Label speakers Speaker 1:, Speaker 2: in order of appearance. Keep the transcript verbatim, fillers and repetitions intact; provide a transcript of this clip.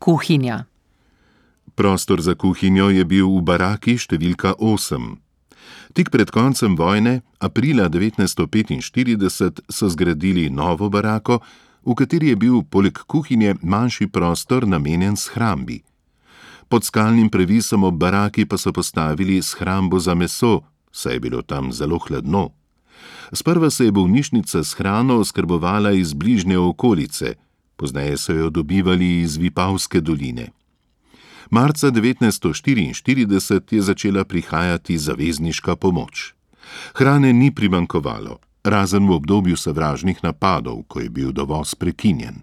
Speaker 1: Kuhinja.
Speaker 2: Prostor za kuhinjo je bil v baraki številka osem. Tik pred koncem vojne, aprila devetnajststo petinštirideset, so zgradili novo barako, v kateri je bil poleg kuhinje manjši prostor namenjen shrambi. Pod skalnim previsom ob baraki pa so postavili shrambo za meso, saj je bilo tam zelo hladno. Sprva se je bolnišnica s hrano oskrbovala iz bližnje okolice, pozneje so jo dobivali iz Vipavske doline. Marca devetnajststo štiriinštirideset je začela prihajati zavezniška pomoč. Hrane ni primanjkovalo, razen v obdobju sovražnih napadov, ko je bil dovoz prekinjen.